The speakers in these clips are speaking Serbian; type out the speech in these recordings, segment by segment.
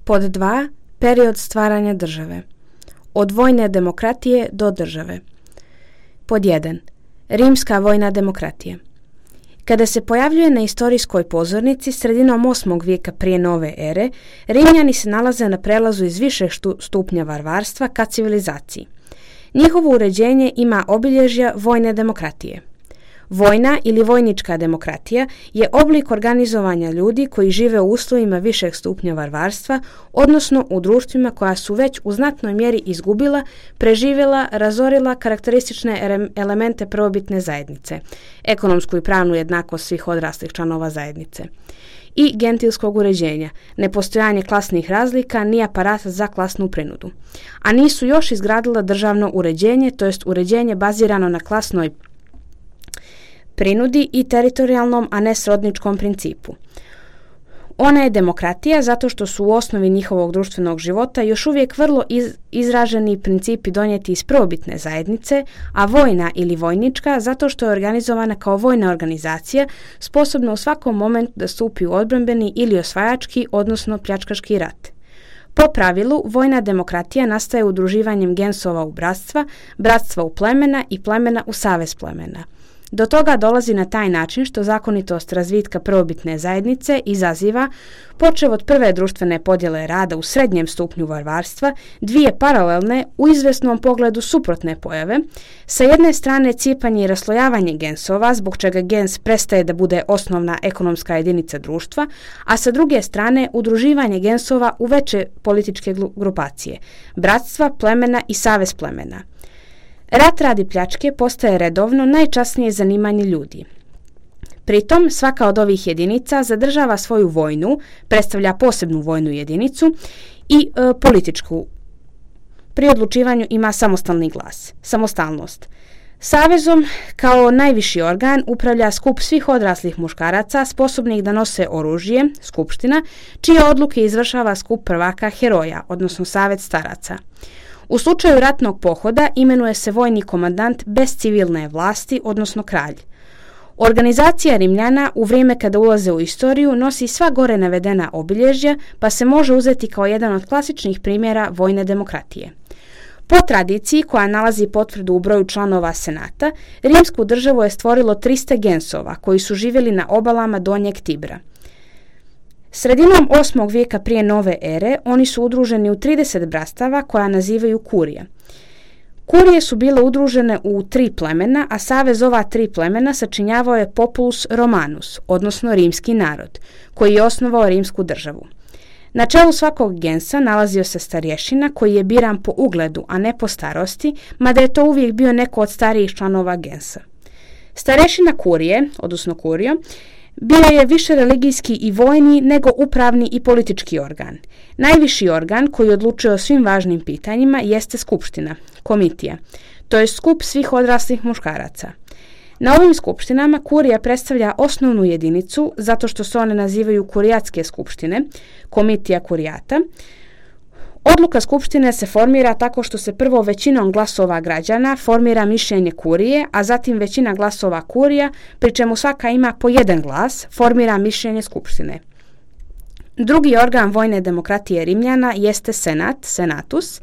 Pod 2. Period stvaranja države. Od vojne demokratije do države. Pod 1. Rimska vojna demokratija. Kada se pojavljuje na istorijskoj pozornici sredinom 8. vijeka prije nove ere, Rimljani se nalaze na prelazu iz višeg stupnja varvarstva ka civilizaciji. Njihovo uređenje ima obilježja vojne demokratije. Vojna ili vojnička demokratija je oblik organizovanja ljudi koji žive u uslovima višeg stupnja varvarstva, odnosno u društvima koja su već u znatnoj mjeri izgubila, preživjela, razorila karakteristične elemente prvobitne zajednice, ekonomsku i pravnu jednakost svih odraslih članova zajednice, i gentilskog uređenja, nepostojanje klasnih razlika ni aparata za klasnu prinudu. A nisu još izgradila državno uređenje, to jest uređenje bazirano na klasnoj prinudi i teritorijalnom, a ne srodničkom principu. Ona je demokratija zato što su u osnovi njihovog društvenog života još uvijek vrlo izraženi principi donijeti iz prvobitne zajednice, a vojna ili vojnička zato što je organizovana kao vojna organizacija sposobna u svakom momentu da stupi u odbrambeni ili osvajački, odnosno pljačkaški rat. Po pravilu, vojna demokratija nastaje udruživanjem gensova u bratstva, bratstva u plemena i plemena u savez plemena. Do toga dolazi na taj način što zakonitost razvitka prvobitne zajednice izaziva, počev od prve društvene podjele rada u srednjem stupnju varvarstva, dvije paralelne, u izvesnom pogledu suprotne pojave, sa jedne strane cijepanje i raslojavanje gensova, zbog čega gens prestaje da bude osnovna ekonomska jedinica društva, a sa druge strane udruživanje gensova u veće političke grupacije, bratstva, plemena i savez plemena. Rat radi pljačke postaje redovno najčasnije zanimanje ljudi. Pritom, svaka od ovih jedinica zadržava svoju vojnu, predstavlja posebnu vojnu jedinicu i političku. Pri odlučivanju ima samostalni glas, samostalnost. Savezom kao najviši organ upravlja skup svih odraslih muškaraca sposobnih da nose oružje, skupština, čije odluke izvršava skup prvaka heroja, odnosno savez staraca. U slučaju ratnog pohoda imenuje se vojni komandant bez civilne vlasti, odnosno kralj. Organizacija Rimljana u vrijeme kada ulaze u istoriju nosi sva gore navedena obilježja, pa se može uzeti kao jedan od klasičnih primjera vojne demokratije. Po tradiciji, koja nalazi potvrdu u broju članova senata, rimsku državu je stvorilo 300 gensova koji su živjeli na obalama Donjeg Tibra. Sredinom 8. vijeka prije nove ere oni su udruženi u 30 bratstava koja nazivaju kurija. Kurije su bile udružene u 3 plemena, a savez ova 3 plemena sačinjavao je populus Romanus, odnosno rimski narod, koji je osnovao rimsku državu. Na čelu svakog gensa nalazio se starješina koji je biran po ugledu, a ne po starosti, mada je to uvijek bio neko od starijih članova gensa. Starješina kurije, odnosno kurio, bio je više religijski i vojni nego upravni i politički organ. Najviši organ koji odlučuje o svim važnim pitanjima jeste skupština, komitija, to je skup svih odraslih muškaraca. Na ovim skupštinama kurija predstavlja osnovnu jedinicu zato što se one nazivaju kurijatske skupštine, komitija kurijata. Odluka skupštine se formira tako što se prvo većinom glasova građana formira mišljenje kurije, a zatim većina glasova kurija, pri čemu svaka ima po jedan glas, formira mišljenje skupštine. Drugi organ vojne demokratije Rimljana jeste senat, senatus.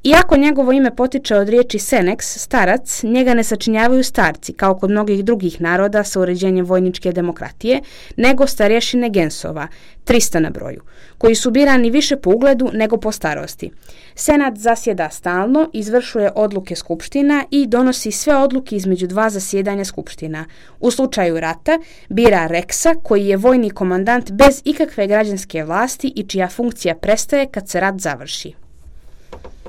Iako njegovo ime potiče od riječi senex, starac, njega ne sačinjavaju starci, kao kod mnogih drugih naroda sa uređenjem vojničke demokratije, nego starješine gensova, 300 na broju, koji su birani više po ugledu nego po starosti. Senat zasjeda stalno, izvršuje odluke skupština i donosi sve odluke između 2 zasjedanja skupština. U slučaju rata bira reksa, koji je vojni komandant bez ikakve građanske vlasti i čija funkcija prestaje kad se rat završi.